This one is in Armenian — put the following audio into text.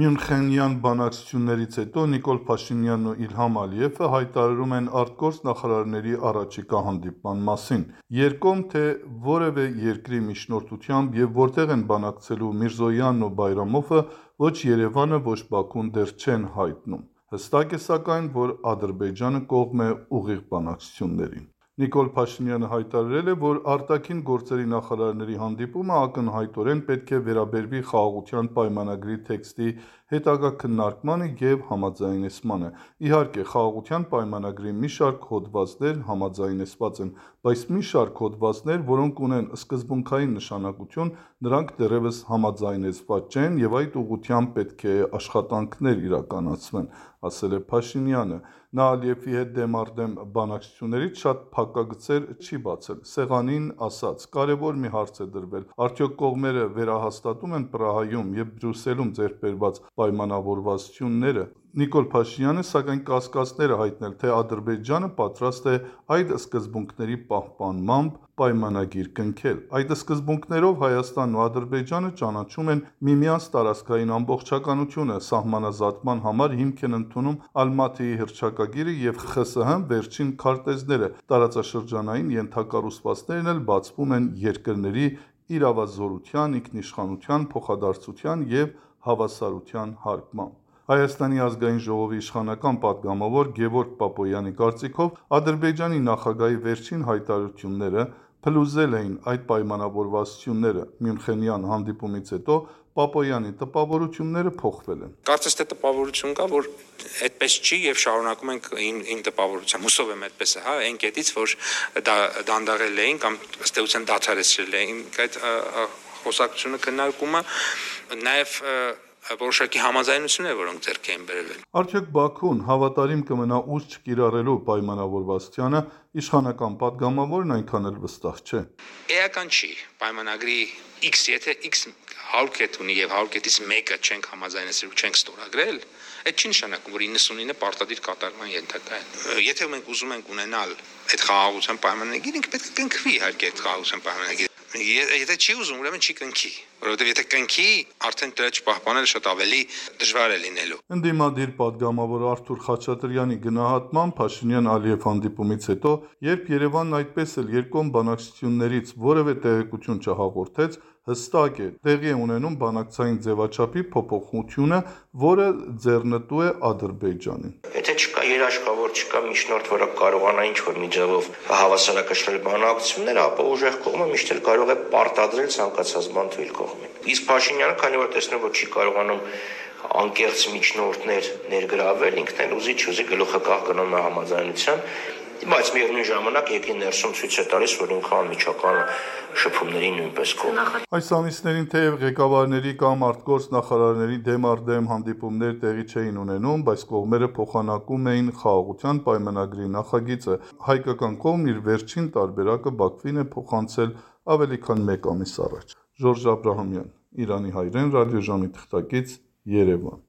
Մյունխենյան բանակցություններից հետո Նիկոլ Փաշինյանն ու Իլհամ Ալիևը հայտարարում են արտգործ նախարարների առաջիկա հանդիպման մասին։ Երկկողմ թե որևէ երկրի միջնորդությամբ եւ որտեղ են բանակցելու Միրզոյանն ու Բայրամովը, ոչ Երևանը, ոչ Բաքուն դեռ չեն հայտնում։ Հստակ է սակայն, որ Ադրբեջանը կողմ է ուղիղ բանակցություններին։ Նիկոլ Փաշինյանը հայտարարել է, որ արտաքին գործերի նախարարների հանդիպումը ակնհայտորեն պետք է վերաբերվի խաղաղության պայմանագրի տեքստի հետագա քննարկմանը եւ համաձայնեցմանը։ Իհարկե, խաղաղության պայմանագրի մի շարք հոդվածներ համաձայնեցված են, բայց մի շարք հոդվածներ, որոնք ունեն սկզբունքային նշանակություն, նրանք դեռևս համաձայնեցված չեն եւ այդ ուղղությամբ պետք է աշխատանքներ իրականացվեն, ասել է Փաշինյանը։ Նա Ալիևի հետ դեմառդեմ բանակցություններից շատ փակագծեր չի բացել։ Սեղանին ասաց. կարևոր մի հարց է դրվել. արդյոք կողմերը վերահաստատում են Պրահայում եւ Բրյուսելում ձեռք բերված պայմանավորվածությունները։ Նիկոլ Փաշինյանը սակայն կասկածներ է հայտնել, թե Ադրբեջանը պատրաստ է այդ սկզբունքների պահպանմամբ պայմանագիր կնքել։ Այդ սկզբունքներով Հայաստանն ու Ադրբեջանը ճանաչում են միմյանց տարածքային ամբողջականությունը, սահմանազատման համար հիմք են ընդունում Ալմատիի հռչակագիրը եւ ԽՍՀՄ վերջին քարտեզները, տարածաշրջանային ենթակառուցվածքներն էլ բացվում են երկրների իրավազորության, ինքնիշխանության, փոխադարձության եւ հավասարության հարգմամբ։ Հայաստանի ազգային ժողովի իշխանական պատգամավոր Գևորգ Պապոյանի կարծիքով Ադրբեջանի նախագահի վերջին հայտարարությունները փլուզել էին այդ պայմանավորվածությունները։ Մյունխենյան հանդիպումից հետո Պապոյանի տպավորությունները փոխվել են։ Կարծես թե տպավորություն կա, որ այդպես չի եւ շարունակում ենք իմ տպավորությամբ։ Հուսով եմ այդպես է, հա, այն կետից, որ դանդաղել էին կամ ըստ էության դադարեցրել էին այդ խոսակցությունը քննարկումը, նաեւ որոշակի համաձայնություններ, որոնք ձեռք էին բերվել։ Արդյոք Բաքուն հավատարիմ կմնա ուժ չկիրառելու պայմանավորվածությանը, իշխանական պատգամավորն այնքան էլ վստահ չէ։ Էական չի, պայմանագրի X, եթե X 100 կետ ունի եւ 100 կետից մեկը չենք համաձայնեցրել ու չենք ստորագրել, այդ չի նշանակում, որ 99-ը պարտադիր կատարման ենթակա են։ Եթե մենք ուզում ենք ունենալ այդ խաղաղության պայմանագիր, ինքը պետք է կնքվի, իհարկե, այդ խաղաղության պայմանագիրը։ Եթե չի ուզում, ուրեմն չի կնքի, որովհետև եթե կնքի, արդեն դրա չպահպանել շատ ավելի դժվար է լինելու։ Ընդդիմադիր պատգամավոր Արթուր Խաչատրյանի գնահատմամբ Փաշինյան-Ալիև հանդիպումից հետո, երբ Երևանն այդպես էլ երկկողմ բանակցություններից որևէ տեղեկություն չհաղորդեց, հստակ է, տեղի է ունենում բանակցային ձևաչափի փոփոխությունը, որը ձեռնտու է Ադրբեջանին։ Եթե չկա երաշխավոր, չկա միջնորդ, որը կարողանա ինչ-որ մի ձևով հավասարակշռել բանակցությունները, ապա ուժեղ կողմը միշտ էլ կարող է պարտադրել ցանկացած բան թույլ կողմին։ Իսկ Փաշինյանը, քանի որ տեսնում որ չի կարողանում անկեղծ միջնորդներ ներգրավել, ինքն էլ ուզի գլուխը կախ գնում է համաձայնության, բայց միևնույն ժամանակ եկի ներսում ցույց է տալիս, որ ինքը անմիջական շփումների նույնպես կողմ։ Այս ամիսներին թեև ղեկավարների կամ արտգործ նախարարների դեմառդեմ հանդիպումներ տեղի չէին ունենում, բայց կողմերը փոխանակում էին խաղաղության պայմանագրի նախագիծը։ Հայկական կողմն իր վերջին տարբերակը Բաքվին է փոխանցել ավելի քան 1 ամիս առաջ։ Ժորժ Աբրահամյան, Իրանի հայրեն ռադիոժամի թղթակից, Երևան։